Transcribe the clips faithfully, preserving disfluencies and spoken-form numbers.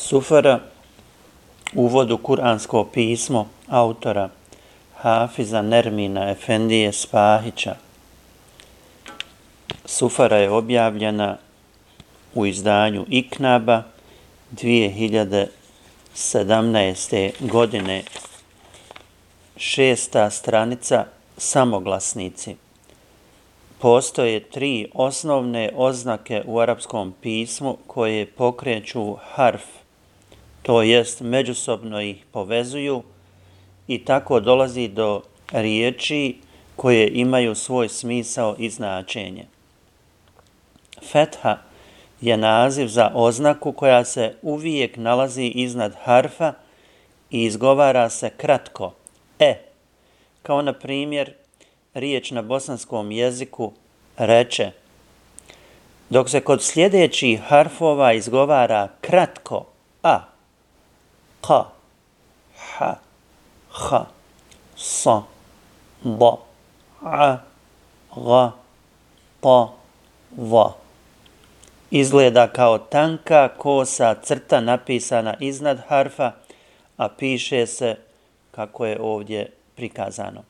Sufara, uvod u kuransko pismo autora Hafiza Nermina Efendije Spahića. Sufara je objavljena u izdanju Iknaba dvije hiljade sedamnaeste. godine. Šesta stranica, samoglasnici. Postoje tri osnovne oznake u arapskom pismu koje pokreću harf, to jest međusobno ih povezuju i tako dolazi do riječi koje imaju svoj smisao i značenje. Fetha je naziv za oznaku koja se uvijek nalazi iznad harfa i izgovara se kratko, e, kao na primjer riječ na bosanskom jeziku reče, dok se kod sljedećih harfova izgovara kratko a, ka, ha, ha, sa, da, a, ga, ta, va. Izgleda kao tanka kosa crta napisana iznad harfa, a piše se kako je ovdje prikazano.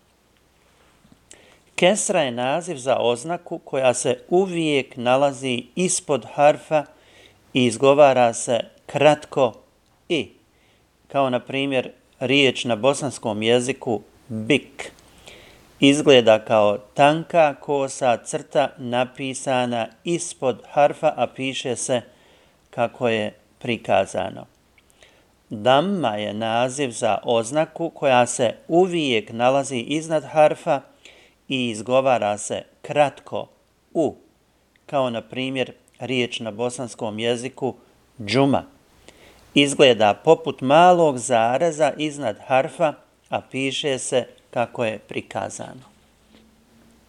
Kesra je naziv za oznaku koja se uvijek nalazi ispod harfa i izgovara se kratko i, kao na primjer riječ na bosanskom jeziku bik. Izgleda kao tanka kosa crta napisana ispod harfa, a piše se kako je prikazano. Damma je naziv za oznaku koja se uvijek nalazi iznad harfa i izgovara se kratko u, kao na primjer riječ na bosanskom jeziku džuma. Izgleda poput malog zareza iznad harfa, a piše se kako je prikazano.